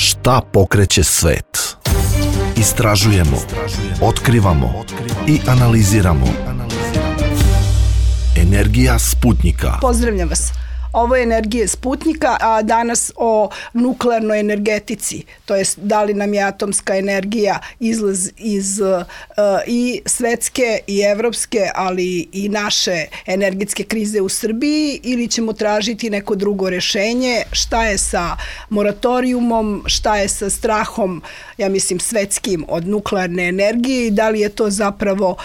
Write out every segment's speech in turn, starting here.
Šta pokreće svet? Istražujemo, otkrivamo i analiziramo. Energija Sputnjika. Pozdravljam vas. Ovo je Energija Sputnjika, a danas o nuklearnoj energetici, to jest da li nam je atomska energija izlaz iz i svetske i evropske, ali i naše energetske krize u Srbiji, ili ćemo tražiti neko drugo rešenje, šta je sa moratorijumom, šta je sa strahom, ja mislim svetskim, od nuklearne energije i da li je to zapravo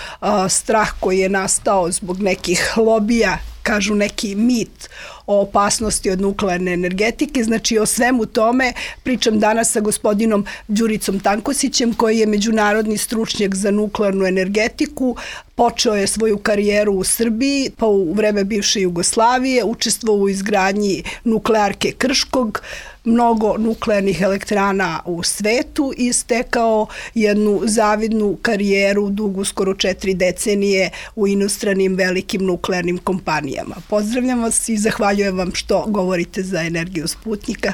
strah koji je nastao zbog nekih lobija, kažu neki mit o opasnosti od nuklearne energetike. Znači o svemu tome pričam danas sa gospodinom Đuricom Tankosićem, koji je međunarodni stručnjak za nuklearnu energetiku. Počeo je svoju karijeru u Srbiji, pa u vreme bivše Jugoslavije, učestvovao u izgradnji nuklearke Krškog, mnogo nuklearnih elektrana u svetu i stekao jednu zavidnu karijeru dugu skoro 4 decenije u inostranim velikim nuklearnim kompanijama. Pozdravljam vas i zahvaljujem vam što govorite za Energiju Sputnjika.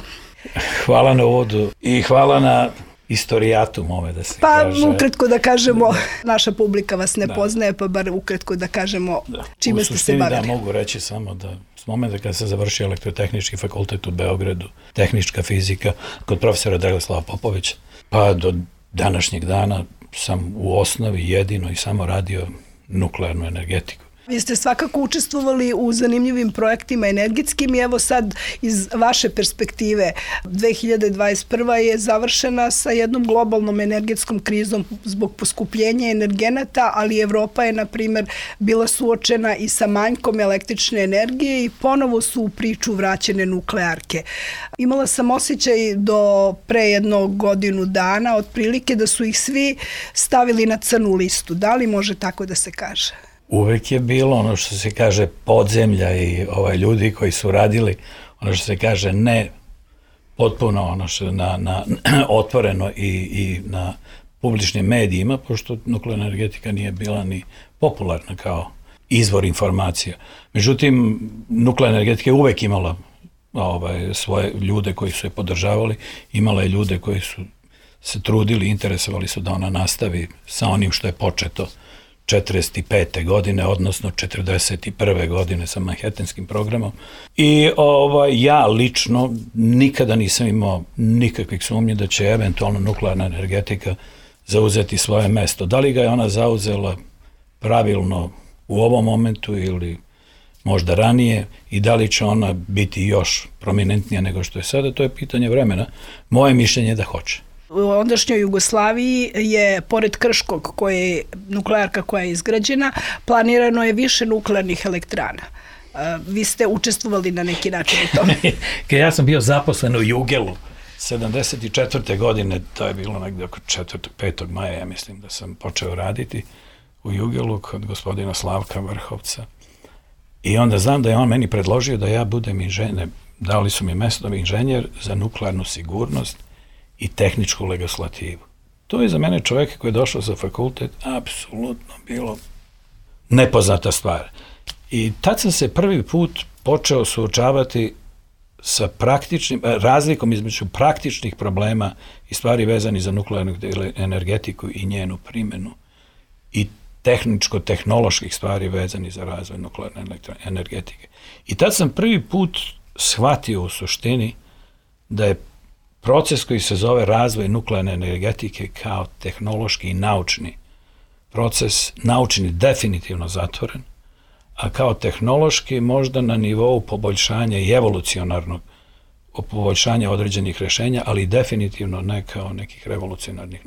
Hvala na uvodu i hvala na istorijatum ove da se kaže. Pa ukratko da kažemo, naša publika vas ne poznaje, pa bar ukratko da kažemo čime ste se bavili. Da, mogu reći samo da s momenta kada se završio Elektrotehnički fakultet u Beogradu, tehnička fizika, kod profesora Dragoslava Popovića, pa do današnjeg dana sam u osnovi jedino i samo radio nuklearnu energetiku. Vi ste svakako učestvovali u zanimljivim projektima energetskim i evo sad iz vaše perspektive 2021. je završena sa jednom globalnom energetskom krizom zbog poskupljenja energenata, ali Evropa je, na primjer, bila suočena i sa manjkom električne energije i ponovo su u priču vraćene nuklearke. Imala sam osjećaj do pre jednog godinu dana, otprilike da su ih svi stavili na crnu listu. Da li može tako da se kaže? Uvek je bilo ono što se kaže podzemlja i ljudi koji su radili ono što se kaže ne potpuno ono što na otvoreno i na publičnim medijima, pošto nuklearna energetika nije bila ni popularna kao izvor informacija. Međutim, nuklearna energetika je uvek imala svoje ljude koji su je podržavali, imala je ljude koji su se trudili, interesovali su da ona nastavi sa onim što je početo 45. godine, odnosno 41. godine sa Manhattanskim programom. I ja lično nikada nisam imao nikakvih sumnji da će eventualno nuklearna energetika zauzeti svoje mesto. Da li ga je ona zauzela pravilno u ovom momentu ili možda ranije i da li će ona biti još prominentnija nego što je sada, to je pitanje vremena. Moje mišljenje je da hoće. U ondašnjoj Jugoslaviji je, pored Krškog, nuklearka koja je izgrađena, planirano je više nuklearnih elektrana. Vi ste učestvovali na neki način u tome. Ja sam bio zaposlen u Jugelu 74. godine, to je bilo negde oko 5. maja, ja mislim da sam počeo raditi u Jugelu kod gospodina Slavka Vrhovca. I onda znam da je on meni predložio da ja budem inženjer, dali su mi mesto inženjer za nuklearnu sigurnost i tehničku legislativu. To je za mene čovjek koji je došao za fakultet apsolutno bilo nepoznata stvar. I tad sam se prvi put počeo suočavati sa razlikom između praktičnih problema i stvari vezani za nuklearnu energetiku i njenu primjenu i tehničko-tehnoloških stvari vezani za razvoj nuklearne energetike. I tad sam prvi put shvatio u suštini da je proces koji se zove razvoj nuklearne energetike kao tehnološki i naučni proces, naučni definitivno zatvoren, a kao tehnološki možda na nivou poboljšanja i evolucionarnog poboljšanja određenih rešenja, ali definitivno ne kao nekih revolucionarnih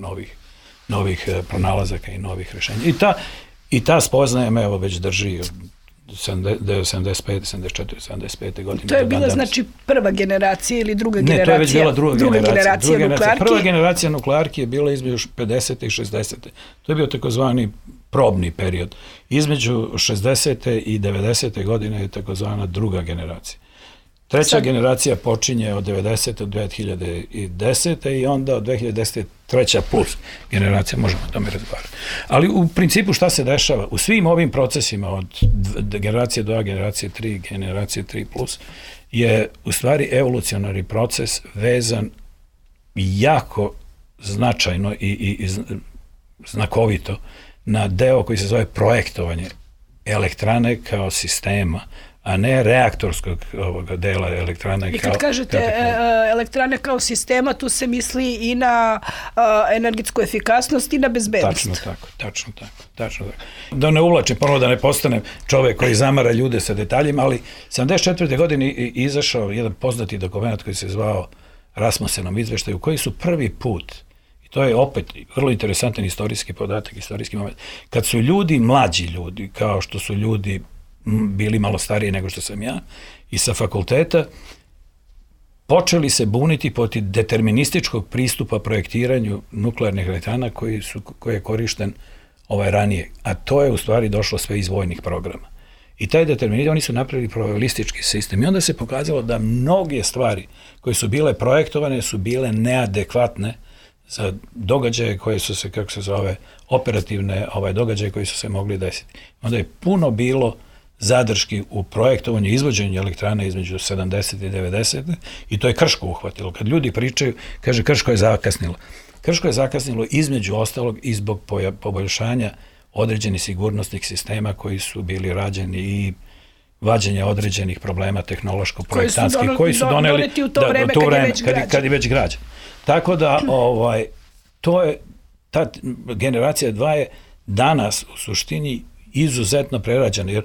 novih pronalazaka i novih rešenja. I ta spoznaja me evo već drži od 75, 74, 75. godine. To je bila znači prva generacija ili druga generacija? Ne, to je već bila druga generacija nuklearki. Prva generacija nuklearki je bila između 50. i 60. To je bio takozvani probni period. Između 60. i 90. godine je takozvana druga generacija. Treća generacija počinje od 90. do 2010. i onda od 2010. treća plus generacija, možemo o tome razgovarati. Ali u principu šta se dešava? U svim ovim procesima od generacije 2, generacije 3, generacije 3 plus je u stvari evolucionarni proces vezan jako značajno i znakovito na deo koji se zove projektovanje elektrane kao sistema, a ne reaktorskog ovoga dela elektrane. I kad kažete elektrane kao sistema, tu se misli i na energetsku efikasnost i na bezbednost. Tačno tako. Da ne uvlačim, ponovo da ne postanem čovek koji zamara ljude sa detaljima, ali 74. godine izašao jedan poznati dokument koji se zvao Rasmussenom izveštaju, koji su prvi put, i to je opet vrlo interesantan istorijski podatak, istorijski moment, kad su ljudi, mlađi ljudi, kao što su ljudi bili malo stariji nego što sam ja, i sa fakulteta, počeli se buniti protiv determinističkog pristupa projektiranju nuklearnih elektrana koji je korišten ranije. A to je u stvari došlo sve iz vojnih programa. I taj determinizam, oni su napravili probabilistički sistem. I onda se pokazalo da mnoge stvari koje su bile projektovane su bile neadekvatne za događaje koje su se, kako se zove, operativne događaje koji su se mogli desiti. Onda je puno bilo zadrški u projektovanju i izvođenju elektrana između 70. i 90. i to je Krško uhvatilo. Kad ljudi pričaju, kaže Krško je zakasnilo. Krško je zakasnilo između ostalog i zbog poboljšanja određenih sigurnosnih sistema koji su bili rađeni i vađenja određenih problema tehnološko-projektantskih koji su doneli u to vreme kad je već građen. Tako da to je, ta generacija 2 je danas u suštini izuzetno prerađena, jer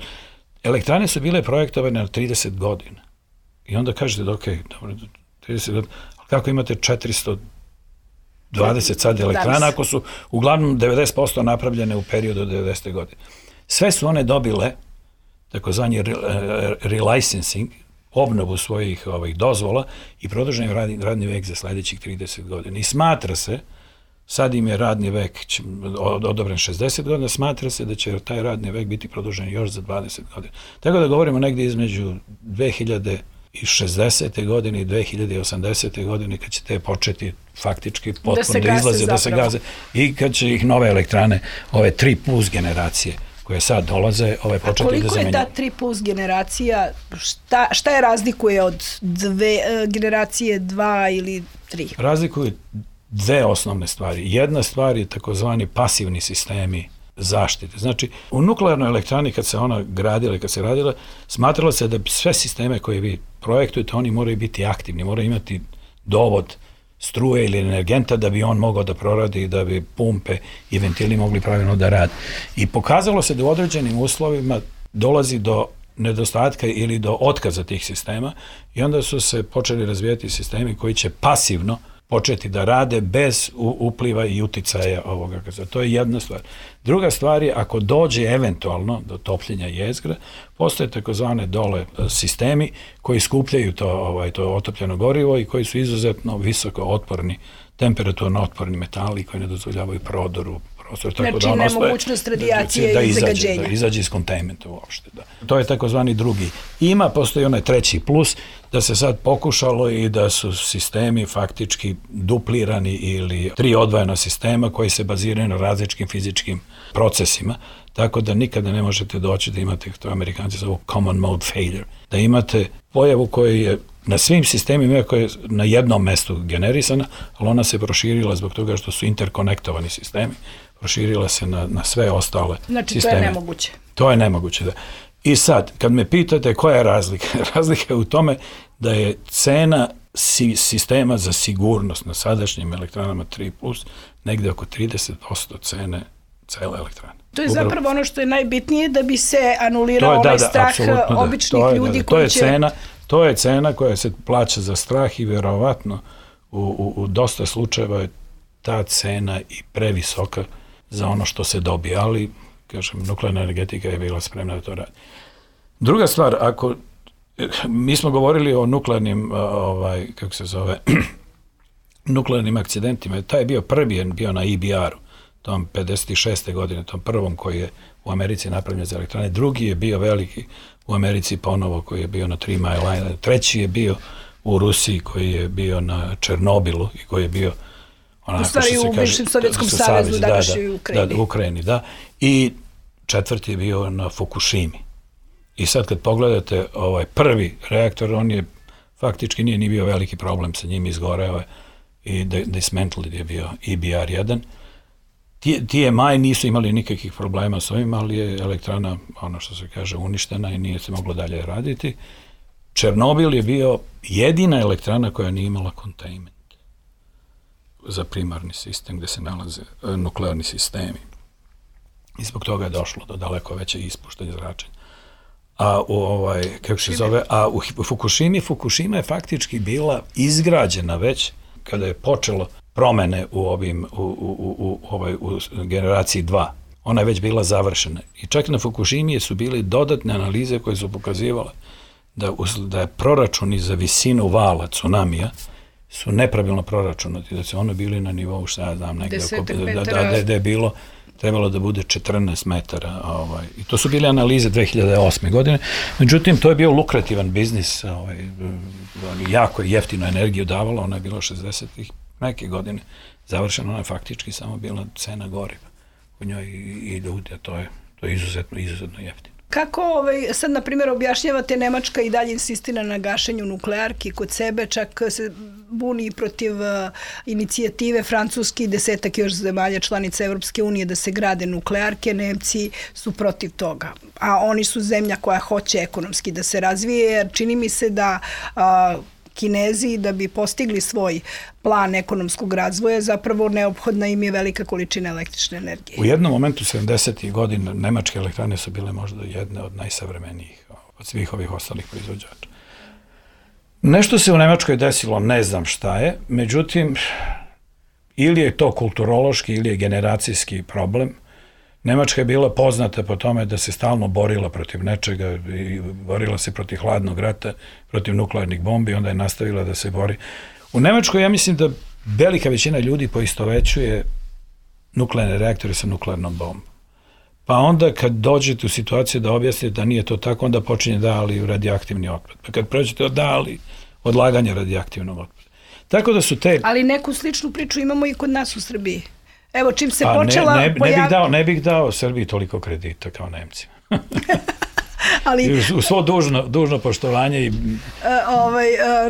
elektrane su bile projektovane na 30 godina. I onda kažete da dobro, 30 godina, ali kako imate 420 sad elektrana ako su uglavnom 90% napravljene u periodu od 90. godine. Sve su one dobile takozvani relicensing, obnovu svojih dozvola i produžen radni vek za sledećih 30 godina. I smatra se, sad im je radni vek odobren 60 godina, smatra se da će taj radni vek biti produžen još za 20 godina. Tako da govorimo negdje između 2060. godine i 2080. godine kad će te početi faktički potpuno da izlaze, da se gaze i kad će ih nove elektrane, ove 3+ generacije koje sad dolaze, početi da zamenjaju. Koliko je ta 3+ generacija, šta je razlikuje od generacije 2 ili 3? Razlikuju dve osnovne stvari. Jedna stvar je takozvani pasivni sistemi zaštite. Znači, u nuklearnoj elektrani kad se ona gradila i kad se radila, smatralo se da sve sisteme koje vi projektujete, oni moraju biti aktivni, moraju imati dovod struje ili energenta da bi on mogao da proradi i da bi pumpe i ventili mogli pravilno da rade. I pokazalo se da u određenim uslovima dolazi do nedostatka ili do otkaza tih sistema i onda su se počeli razvijati sistemi koji će pasivno početi da rade bez upliva i uticaja ovoga. To je jedna stvar. Druga stvar je, ako dođe eventualno do topljenja jezgra, postoje takozvane dole sistemi koji skupljaju to otopljeno gorivo i koji su izuzetno visoko otporni, temperaturno otporni metali koji ne dozvoljavaju prodoru. Znači nemogućnost radijacije i zagađenja. Da izađe iz kontajnmenta uopšte. To je takozvani drugi. Postoji onaj treći plus, da se sad pokušalo i da su sistemi faktički duplirani ili 3 odvojena sistema koji se baziraju na različitim fizičkim procesima, tako da nikada ne možete doći da imate, to Amerikanci zovu common mode failure, da imate pojavu koja je na svim sistemima koja je na jednom mestu generisana, ali ona se proširila zbog toga što su interkonektovani sistemi, proširila se na sve ostale sisteme. Znači, to je nemoguće. To je nemoguće, da. I sad, kad me pitate koja je razlika, razlika je u tome da je cena sistema za sigurnost na sadašnjim elektranama 3+, negde oko 30% cene cele elektrane. To je zapravo ono što je najbitnije da bi se anulirao ovaj strah običnih ljudi koji će... To je cena koja se plaća za strah i vjerovatno u dosta slučajeva je ta cena i previsoka za ono što se dobije, ali, kažem, nuklearna energetika je bila spremna da to radi. Druga stvar, mi smo govorili o nuklearnim, nuklearnim akcidentima, taj je bio prvi, bio na EBR-u, tom 56. godine, tom prvom koji je u Americi napravljen za elektrane, drugi je bio veliki u Americi ponovo koji je bio na 3 Mile Island, treći je bio u Rusiji koji je bio na Černobilu i koji je bio u stvari u bivšem Sovjetskom savezu, današnjoj Ukrajini. Da, u Ukrajini, da. I četvrti je bio na Fukushimi. I sad kad pogledate prvi reaktor, on je faktički nije ni bio veliki problem sa njim, izgoreo je i dismantled je bio EBR-1. TMI nisu imali nikakvih problema s ovim, ali je elektrana, ono što se kaže, uništena i nije se moglo dalje raditi. Černobil je bio jedina elektrana koja nije imala containment za primarni sistem gde se nalaze nuklearni sistemi. I zbog toga je došlo do daleko veće ispuštanje zračenja. A u Fukushima je faktički bila izgrađena već kada je počelo promene u generaciji 2. Ona je već bila završena. I čak na Fukushimi su bile dodatne analize koje su pokazivale da je proračuni za visinu vala tsunamija su nepravilno proračunati, da su one bili na nivou, šta ja znam, negde da je bilo trebalo da bude 14 metara. I to su bile analize 2008. godine. Međutim, to je bio lukrativan biznis. Jako jeftino energiju davala. Ona je bila 60-ih neke godine završena. Ona je faktički samo bila cena goriva u njoj i ljudi, a to je izuzetno jeftino. Kako sad, na primjer, objašnjavate Nemačka i dalje insistira na gašenju nuklearki kod sebe, čak se buni protiv inicijative Francuski i 10 još zemalja članica Evropske unije da se grade nuklearke, Nemci su protiv toga. A oni su zemlja koja hoće ekonomski da se razvije, jer čini mi se da Kinezi, da bi postigli svoj plan ekonomskog razvoja, zapravo neophodna im je velika količina električne energije. U jednom momentu 70. godina nemačke elektrane su bile možda jedne od najsavremenijih od svih ovih ostalih proizvođača. Nešto se u Nemačkoj desilo, ne znam šta je, međutim, ili je to kulturološki ili je generacijski problem. Nemačka je bila poznata po tome da se stalno borila protiv nečega i borila se protiv hladnog rata, protiv nuklearnih bombi, onda je nastavila da se bori. U Nemačkoj ja mislim da velika većina ljudi poistovećuje nuklearne reaktore sa nuklearnom bombom. Pa onda kad dođete u situaciju da objasnite da nije to tako, onda počinje da ali radioaktivni otpad. Pa kad prođete da ali odlaganje radioaktivnog otpada. Tako da su te... Ali neku sličnu priču imamo i kod nas u Srbiji. Evo, čim se počela... Ne bih dao Srbiji toliko kredita kao Nemcima. Ali, u svo dužno poštovanje i...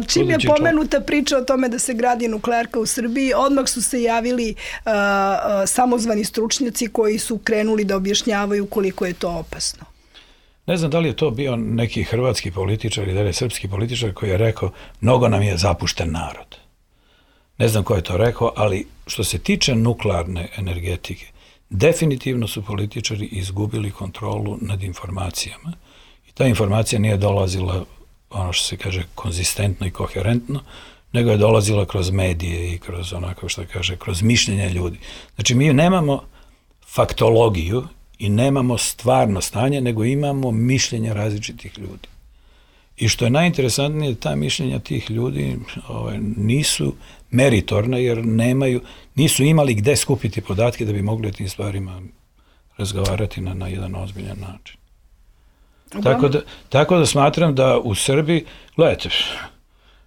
čim je pomenuta priča o tome da se gradi nuklearka u Srbiji, odmah su se javili samozvani stručnjaci koji su krenuli da objašnjavaju koliko je to opasno. Ne znam da li je to bio neki hrvatski političar ili da je srpski političar koji je rekao mnogo nam je zapušten narod. Ne znam ko je to rekao, ali što se tiče nuklearne energetike, definitivno su političari izgubili kontrolu nad informacijama. I ta informacija nije dolazila, ono što se kaže, konzistentno i koherentno, nego je dolazila kroz medije i kroz onako što kaže, kroz mišljenja ljudi. Znači, mi nemamo faktologiju i nemamo stvarno stanje, nego imamo mišljenja različitih ljudi. I što je najinteresantnije, ta mišljenja tih ljudi nisu meritorna, jer nisu imali gde skupiti podatke da bi mogli o tim stvarima razgovarati na jedan ozbiljan način. Tako da smatram da u Srbiji, gledajte,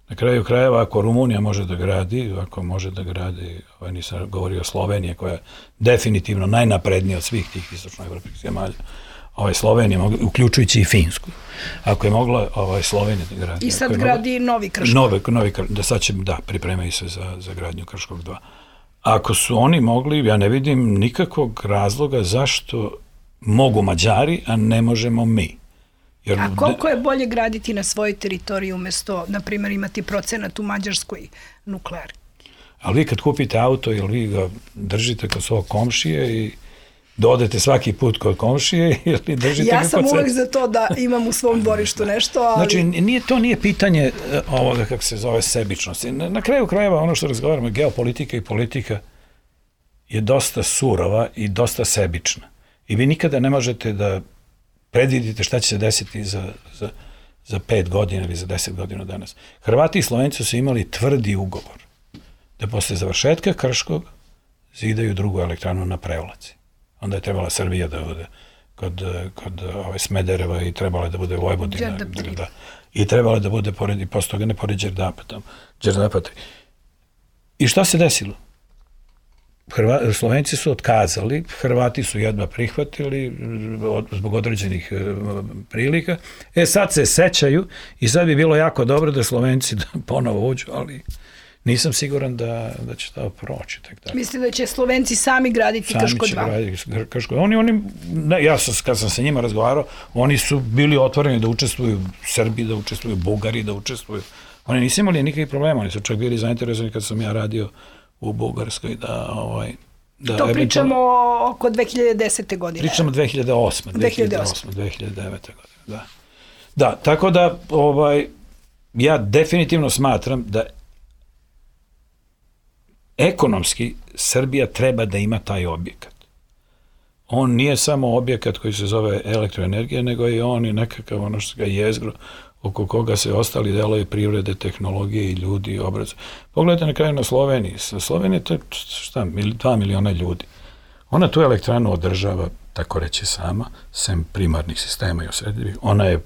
na kraju krajeva, ako Rumunija može da gradi, nisam govorio o Sloveniji, koja je definitivno najnaprednija od svih tih istočnoevropskih zemalja, Slovenija, uključujući i Finsku. Ako je mogla Slovenija da gradi. I sad gradi novi Krškog. Pripremaju se za gradnju Krškog 2. Ako su oni mogli, ja ne vidim nikakvog razloga zašto mogu Mađari, a ne možemo mi. A koliko je bolje graditi na svojoj teritoriji umjesto, na primjer, imati procenat u Mađarskoj nuklearki? Ali vi kad kupite auto, jel vi ga držite kod svog komšije i dodete svaki put kod komšije ili držite ga kod sebe? Ja sam uvek za to da imam u svom dvorištu nešto, ali... Znači, to nije pitanje ovoga, kako se zove, sebičnosti. Na kraju krajeva, ono što razgovaramo, geopolitika i politika je dosta surova i dosta sebična. I vi nikada ne možete da predvidite šta će se desiti za 5 godina ili za 10 godina danas. Hrvati i Slovenci su imali tvrdi ugovor da posle završetka Krškog zidaju drugu elektranu na Prevlaci. Onda je trebala Srbija da bude kod Smedereva i trebala da bude Vojvodina. I trebala da bude pored, posle toga ne pored Đerdapa. I šta se desilo? Slovenci su otkazali, Hrvati su jedva prihvatili zbog određenih prilika. Sad se sećaju i sad bi bilo jako dobro da Slovenci ponovo uđu, ali nisam siguran da će to proći. Mislite da će Slovenci sami graditi Krško 2? Sami će graditi Krško. Ja kad sam sa njima razgovarao, oni su bili otvoreni da učestvuju Srbi, da učestvuju Bugari, da učestvuju. Oni nisu imali nikakvih problema, oni su čak bili zainteresovani kad sam ja radio u Bugarskoj to pričamo oko 2010. godine. Pričamo 2008. 2009. godine, da. Tako da ja definitivno smatram da ekonomski Srbija treba da ima taj objekat. On nije samo objekat koji se zove elektroenergija, nego je on i nekakav ono što ga jezgro oko koga se ostali delovi privrede, tehnologije i ljudi obrazuju. Pogledajte na kraju na Sloveniji. Slovenija je 2 miliona ljudi. Ona tu elektranu održava, tako reći sama, sem primarnih sistema i osrednjih. Ona je,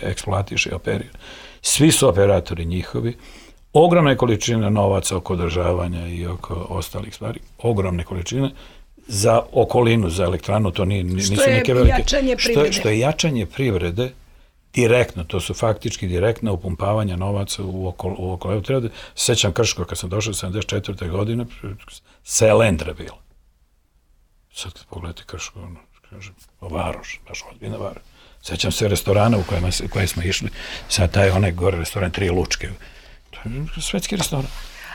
eksploatiše i operira. Svi su operatori njihovi. Ogromne količine novaca oko održavanja i oko ostalih stvari. Ogromne količine. Za okolinu, za elektranu, to nisu neke velike. Što je jačanje privrede, direktno, to su faktički direktno upumpavanja novaca u okolinu. Treba da sećam Krško, kad sam došao 74. godine, Selendra bila. Sad kad pogledate Krško, kažem, Varoš, baš ozbiljna Varoš. Sećam se restorana u koje smo išli, sad taj onaj gore restoran, 3 lučke. To je svetski restoran.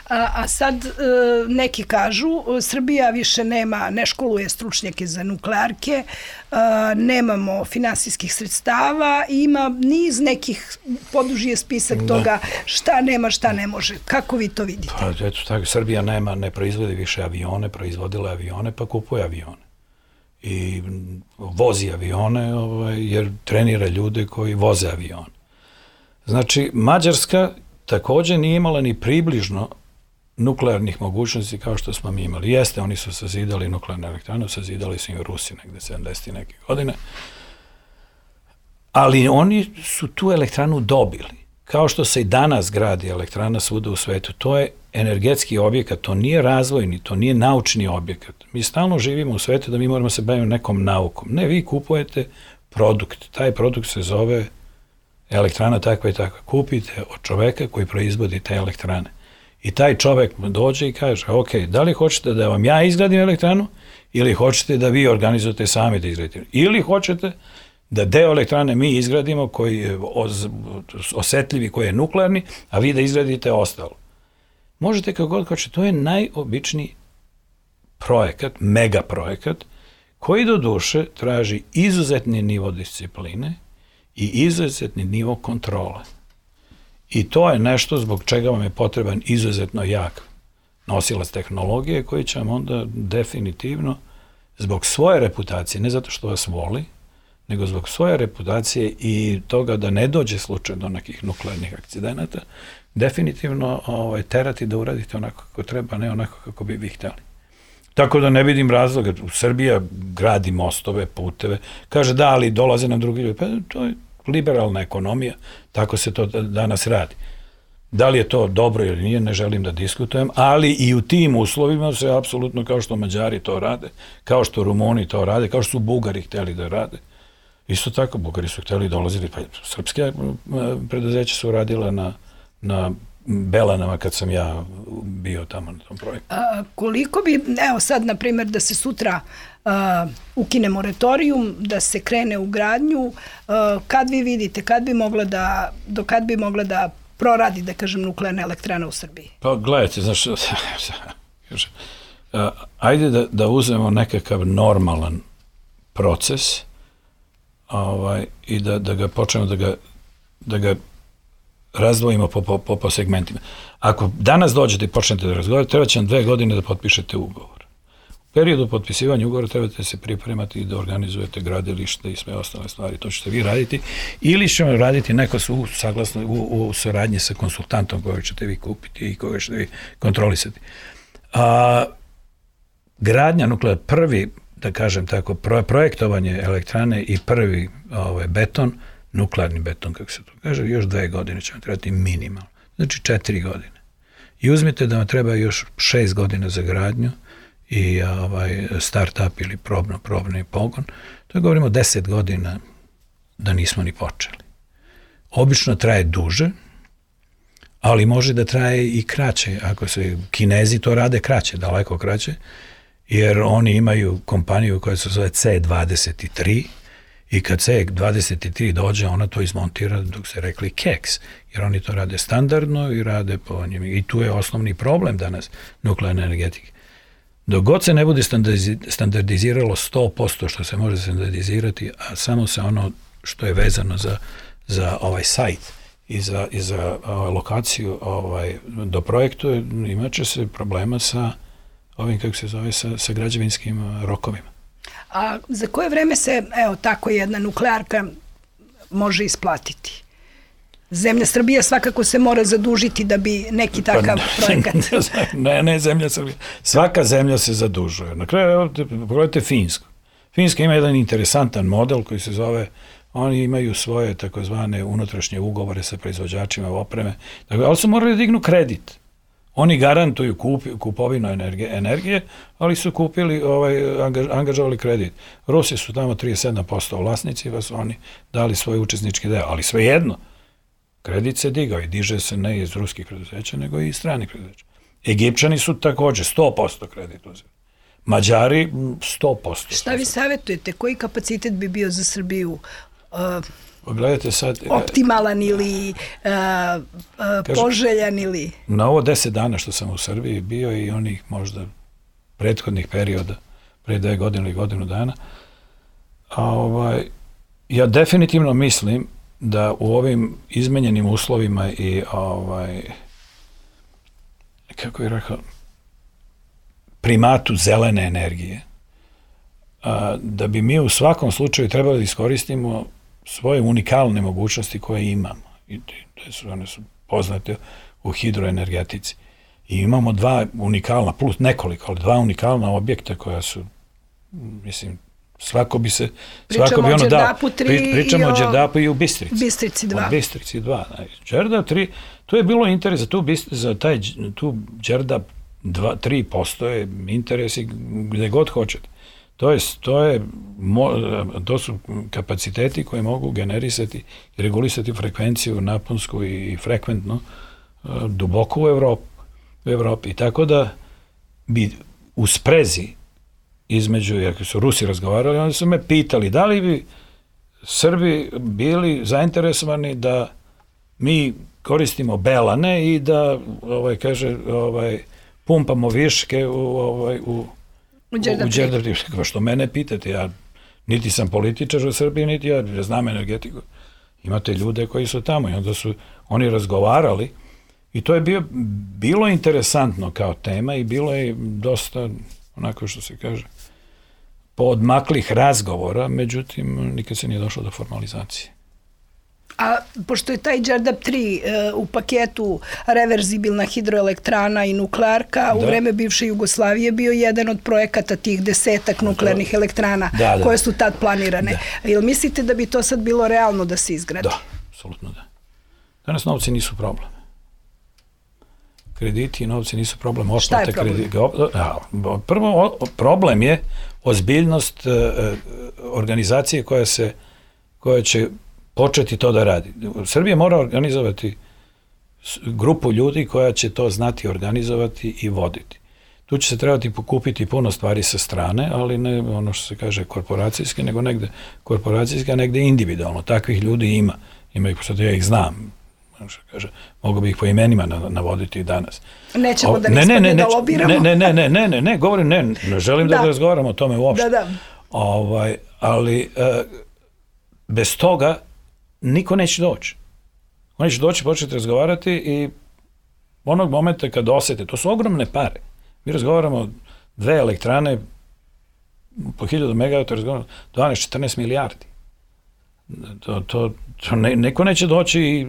A sad neki kažu, Srbija više ne školuje stručnjake za nuklearke, nemamo finansijskih sredstava i ima niz nekih, poduži spisak toga šta nema, šta ne može. Kako vi to vidite? Pa eto tako, Srbija ne proizvodi više avione, proizvodila avione pa kupuje avione. I vozi avione jer trenira ljude koji voze avione. Znači, Mađarska takođe nije imala ni približno nuklearnih mogućnosti kao što smo mi imali. Jeste, oni su sazidali nuklearnu elektranu, sazidali su im Rusi negde 70. neke godine, ali oni su tu elektranu dobili. Kao što se i danas gradi elektrana svuda u svetu, to je energetski objekat, to nije razvojni, to nije naučni objekat. Mi stalno živimo u svetu da mi moramo se baviti nekom naukom. Ne, vi kupujete produkt, taj produkt se zove elektrana takva i takva. Kupite od čoveka koji proizvodi te elektrane. I taj čovek dođe i kaže, ok, da li hoćete da vam ja izgradim elektranu ili hoćete da vi organizujete sami da izgradite? Ili hoćete da deo elektrane mi izgradimo koji je osetljivi, koji je nuklearni, a vi da izgradite ostalo. Možete kako god hoćete, to je najobičniji projekat, mega projekat, koji do duše traži izuzetni nivo discipline i izuzetni nivo kontrole. I to je nešto zbog čega vam je potreban izuzetno jak nosilac tehnologije koji će vam onda definitivno zbog svoje reputacije, ne zato što vas voli, nego zbog svoje reputacije i toga da ne dođe slučaj do nekih nuklearnih akcidenata, definitivno terati da uradite onako kako treba, ne onako kako bi vi hteli. Tako da ne vidim razloga. Srbija gradi mostove, puteve, kaže da, ali dolaze nam drugi ljudi. Pa to je liberalna ekonomija, tako se to danas radi. Da li je to dobro ili nije, ne želim da diskutujem, ali i u tim uslovima se apsolutno, kao što Mađari to rade, kao što Rumuni to rade, kao što su Bugari hteli da rade. Isto tako, Bugari su hteli dolazili, pa srpske preduzeća su radila na Belanama kad sam ja bio tamo na tom projektu. Koliko bi, evo sad, na primjer, da se sutra ukine moratorium, da se krene u gradnju, kad vi vidite, do kad bi mogla da proradi, da kažem, nuklearna elektrana u Srbiji? Pa gledajte, znaš, ajde da uzmemo nekakav normalan proces i da ga počnemo da ga razdvojimo po segmentima. Ako danas dođete i počnete da razgovarate, treba će vam 2 godine da potpišete ugovor. U periodu potpisivanja ugovora trebate se pripremati i da organizujete gradilište i sve ostale stvari. To ćete vi raditi ili će vam raditi neko saglasno u saradnji sa konsultantom koga ćete vi kupiti i koga ćete vi kontrolisati. Gradnja nuklearna, prvi, da kažem tako, projektovanje elektrane i prvi beton, nuklearni beton, kako se to kaže, još 2 godine će vam trebati minimalno. Znači 4 godine. I uzmite da vam treba još 6 godina za gradnju i start-up ili probni pogon. To je, govorimo, 10 godina da nismo ni počeli. Obično traje duže, ali može da traje i kraće. Ako se Kinezi to rade kraće, daleko kraće, jer oni imaju kompaniju koja se zove C23 i kad C23 dođe, ona to izmontira dok se rekli keks, jer oni to rade standardno i rade po njima. I tu je osnovni problem danas nuklearne energetike. Dok god se ne bude standardiziralo 100% što se može standardizirati, a samo se ono što je vezano za ovaj sajt i za lokaciju do projektu, imat će se problema sa ovim, kako se zove, sa građevinskim rokovima. A za koje vreme se, evo, tako jedna nuklearka može isplatiti? Zemlja Srbija svakako se mora zadužiti da bi neki takav projekat... Ne zemlja Srbija. Svaka zemlja se zadužuje. Na kraju, pogledajte Finsku. Finska ima jedan interesantan model koji se zove, oni imaju svoje takozvane unutrašnje ugovore sa proizvođačima opreme, ali su morali dignu kredit. Oni garantuju kupovinu energije, ali su kupili, angažovali kredit. Rusi su tamo 37% vlasnici, pa su oni dali svoj učesnički deo, ali svejedno, kredit se digao i diže se ne iz ruskih preduzeća, nego i iz stranih preduzeća. Egipćani su takođe 100% kredit uzeli. Mađari 100%. Šta vi savjetujete? Koji kapacitet bi bio za Srbiju gledajte sad, optimalan ili poželjan ili... Na ovo 10 dana što sam u Srbiji bio i onih možda prethodnih perioda, pre 2 godine ili godinu dana, ja definitivno mislim da u ovim izmenjenim uslovima i kako je rekao, primatu zelene energije, da bi mi u svakom slučaju trebali da iskoristimo svoje unikalne mogućnosti koje imamo. I one su poznate u hidroenergetici. I imamo 2 unikalna, plus nekoliko, ali 2 unikalna objekta koja su, mislim, svako bi Pričamo o Đerdapu 3 pričamo o Đerdapu i u Bistrici. Bistrici 2. Bistrici 2. Đerdap 3, to je bilo interes za tu Đerdap 3 postoje interesi gde god hoćete. To su kapaciteti koji mogu generisati i regulisati frekvenciju naponsku i frekventno duboko u Evropi. I tako da bi u sprezi između, jer su Rusi razgovarali, oni su me pitali da li bi Srbi bili zainteresovani da mi koristimo belane i da pumpamo viške u Đerdap. Što mene pitate, ja niti sam političar u Srbiji, niti ja znam energetiku. Imate ljude koji su tamo i onda su oni razgovarali i to je bilo interesantno kao tema i bilo je dosta, onako što se kaže, poodmaklih razgovora, međutim, nikad se nije došlo do formalizacije. A pošto je taj Đerdap 3 u paketu reverzibilna hidroelektrana i nuklearka, u vreme bivše Jugoslavije bio jedan od projekata tih 10 nuklearnih elektrana koje su tad planirane. Jel mislite da bi to sad bilo realno da se izgradi? Da, apsolutno da. Danas novci nisu problem. Krediti i novci nisu problem. Šta je problem? Prvo, problem je ozbiljnost organizacije koja će početi to da radi. Srbija mora organizovati grupu ljudi koja će to znati organizovati i voditi. Tu će se trebati pokupiti puno stvari sa strane, ali ne ono što se kaže korporacijski, nego negde korporacijski, a negde individualno. Takvih ljudi ima. Ima ih, pošto ja ih znam. Mogu bi ih po imenima navoditi danas. Nećemo da ne da lobiramo. Ne, govorim, ne želim da razgovaramo o tome uopšte. Ali bez toga niko neće doći. Oni će doći, početi razgovarati i onog momenta kad osete, to su ogromne pare. Mi razgovaramo 2 elektrane po 1000 megavata, razgovaramo 12-14 milijardi. Neko neće doći i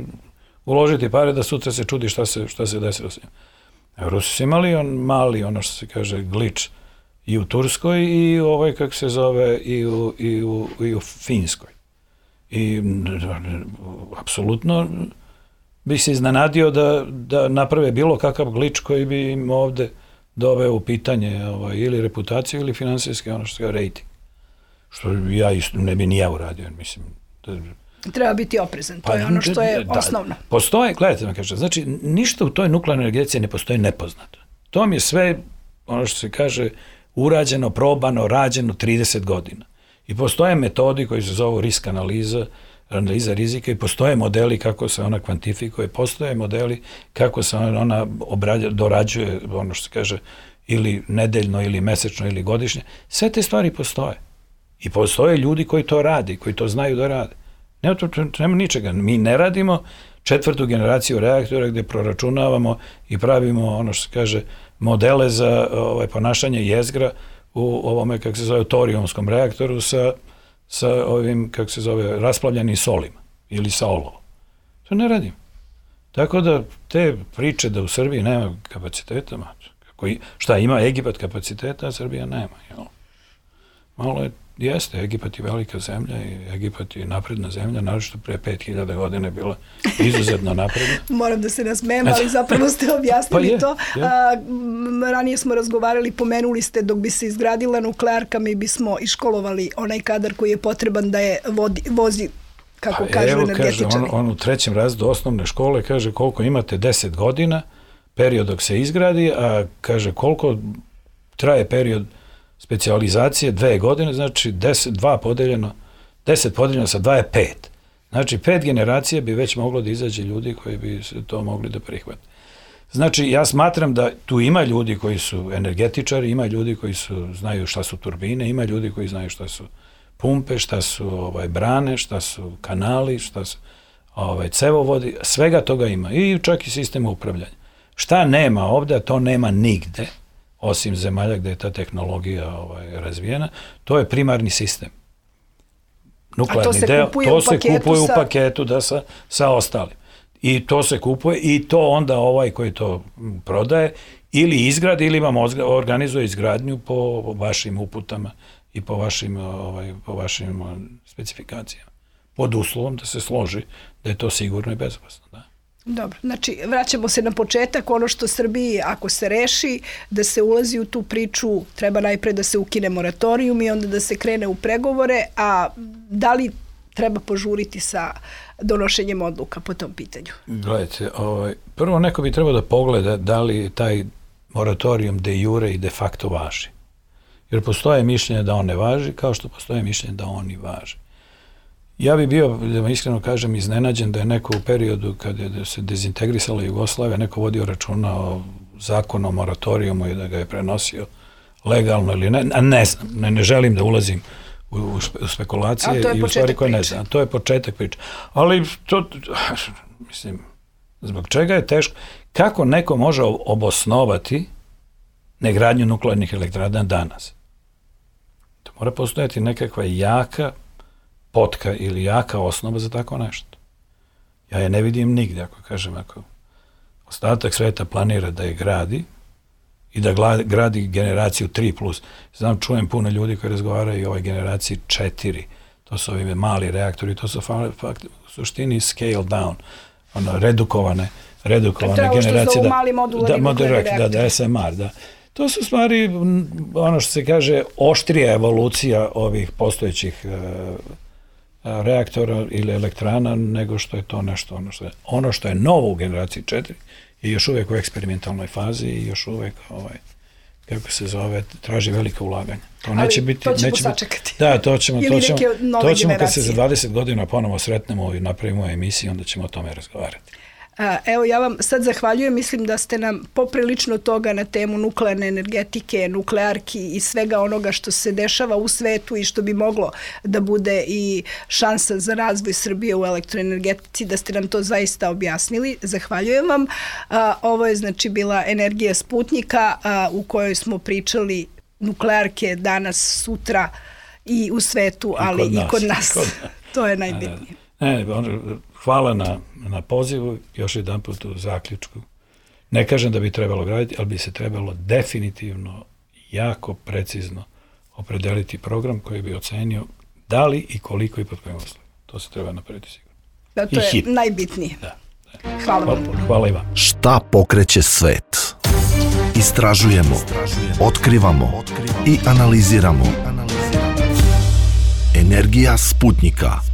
uložiti pare da sutra se čudi šta se desilo s njim. Rusi su imali mali, ono što se kaže, glič i u Turskoj i kako se zove, i u Finskoj. I apsolutno bi se iznenadio da naprave bilo kakav glič koji bi im ovde doveo u pitanje ili reputaciju ili finansijski, ono što se kaže, rating. Što ja isto ne bi ni ja uradio, mislim. Treba biti oprezan, to je ono što je osnovno. Postoje, gledajte me kaže, znači ništa u toj nuklearnoj energetici ne postoji nepoznato. To mi je sve, ono što se kaže, urađeno, probano, rađeno 30 godina. I postoje metodi koji se zovu risk analiza rizika i postoje modeli kako se ona kvantifikuje, postoje modeli kako se ona dorađuje, ono što se kaže, ili nedeljno, ili mesečno, ili godišnje. Sve te stvari postoje. I postoje ljudi koji to radi, koji to znaju da rade. Nema ničega. Mi ne radimo 4. generaciju reaktora gdje proračunavamo i pravimo, ono što se kaže, modele za ponašanje jezgra u ovome, kako se zove, torijumskom reaktoru sa ovim, kako se zove, rasplavljenim solima ili sa olovom. To ne radimo. Tako da te priče da u Srbiji nema kapaciteta, šta ima Egipat kapaciteta, a Srbija nema. Jel? Malo jeste, Egipat je velika zemlja i Egipat je napredna zemlja, naročito pre 5000 godina je bila izuzetno napredna. Moram da se nasmejem, ali zapravo ste objasnili to. Ranije smo razgovarali, pomenuli ste dok bi se izgradila nuklearka, mi bismo iškolovali onaj kadar koji je potreban da je vozi, kako kažu energetičari. Kaže, on u 3. razredu osnovne škole kaže koliko imate 10 godina, period dok se izgradi, a kaže koliko traje period specijalizacije 2 godine, znači 10 podeljeno sa 2 je 5. Znači 5 generacija bi već moglo da izađe ljudi koji bi se to mogli da prihvate. Znači ja smatram da tu ima ljudi koji su energetičari, ima ljudi koji znaju šta su turbine, ima ljudi koji znaju šta su pumpe, šta su brane, šta su kanali, šta su cevovodi, svega toga ima i čak i sistem upravljanja. Šta nema ovde, to nema nigde, osim zemalja gde je ta tehnologija razvijena, to je primarni sistem. Nuklearni deo, to se kupuje u paketu sa ostalim. I to se kupuje i to onda ovaj koji to prodaje ili izgradi ili vam organizuje izgradnju po vašim uputama i po vašim specifikacijama. Pod uslovom da se složi da je to sigurno i bezopasno, da. Dobro, znači vraćamo se na početak, ono što Srbiji ako se reši da se ulazi u tu priču, treba najpre da se ukine moratorijum i onda da se krene u pregovore, a da li treba požuriti sa donošenjem odluka po tom pitanju? Gledajte, prvo neko bi trebao da pogleda da li taj moratorijum de jure i de facto važi. Jer postoje mišljenje da on ne važi, kao što postoje mišljenje da on i važi. Ja bi bio, da vam iskreno kažem, iznenađen da je neko u periodu kada se dezintegrisala Jugoslavija, neko vodio računa o zakonu o moratorijumu i da ga je prenosio legalno ili ne, a ne znam, ne želim da ulazim u spekulacije i u stvari koje ne znam. To je početak priče. Ali to, mislim, zbog čega je teško? Kako neko može obosnovati negradnju nuklearnih elektrana danas? To mora postojati nekakva jaka potka ili jaka osnova za tako nešto. Ja je ne vidim nigde, ako kažem, ako ostatak sveta planira da je gradi i da gradi generaciju 3+. Znam, čujem puno ljudi koji razgovaraju o ovoj generaciji 4. To su ovi mali reaktori, to su u suštini scale down, redukovane generacije. Što za mali modularni nuklearni reaktori. Da, SMR, da. To su stvari, ono što se kaže, oštrija evolucija ovih postojećih reaktora ili elektrana, nego što je to nešto, ono što je novo u generaciji 4 je još uvijek u eksperimentalnoj fazi i još uvijek, kako se zove, traži velika ulaganja. To neće biti, to ćemo sačekati. Da, to ćemo kad se za 20 godina ponovo sretnemo i napravimo emisiju, onda ćemo o tome razgovarati. Evo, ja vam sad zahvaljujem, mislim da ste nam poprilično toga na temu nuklearne energetike, nuklearki i svega onoga što se dešava u svetu i što bi moglo da bude i šansa za razvoj Srbije u elektroenergetici, da ste nam to zaista objasnili. Zahvaljujem vam. Ovo je znači bila Energija Sputnika u kojoj smo pričali nuklearke danas, sutra i u svetu, ali i kod nas. To je najbitnije. Hvala na pozivu, još jedan put u zaključku. Ne kažem da bi trebalo graditi, ali bi se trebalo definitivno, jako precizno opredeliti program koji bi ocenio da li i koliko i pod kojim uslovima. To se treba napraviti sigurno. Da, to je najbitnije. Da. Hvala vam. Hvala i vam. Šta pokreće svet? Istražujemo, otkrivamo i analiziramo. Energija Sputnika.